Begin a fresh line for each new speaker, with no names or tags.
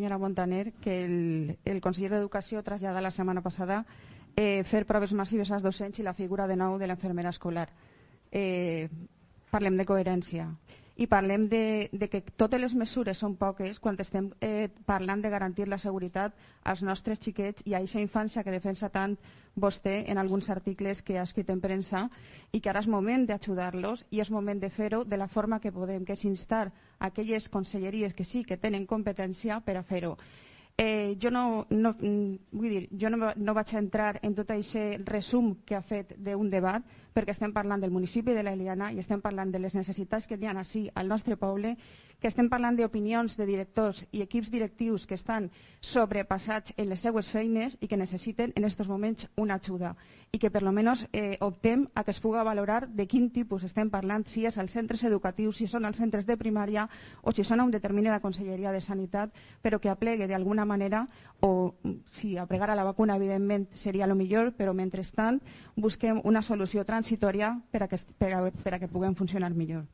senyora Montaner, que el conseller d'Educació trasllada la setmana passada fer proves massives als docents i la figura de nou de l'infermera escolar. Parlem de coherència i parlem de que totes les mesures són poques quan estem parlant de garantir la seguretat als nostres xiquets i a aquesta infància que defensa tant vostè en alguns articles que ha escrit en premsa, i que ara és moment d'ajudar-los i és moment de fer-ho de la forma que podem, que és instar aquelles conselleries que sí que tenen competència per a fer-ho. Jo no vaig entrar en tot aquest resum que ha fet d'un debat, perquè estem parlant del municipi de l'Eliana i estem parlant de les necessitats que hi ha així al nostre poble, que estem parlant d'opinions de directors i equips directius que estan sobrepassats en les seues feines i que necessiten en aquests moments una ajuda, i que per almenys optem a que es pugui valorar de quin tipus estem parlant, si és als centres educatius, si són als centres de primària o si són on determina la Conselleria de Sanitat, però que aplegue d'alguna manera, o si aplegar a la vacuna evidentment seria el millor, però mentrestant busquem una solució transitòria per a que puguem funcionar millor.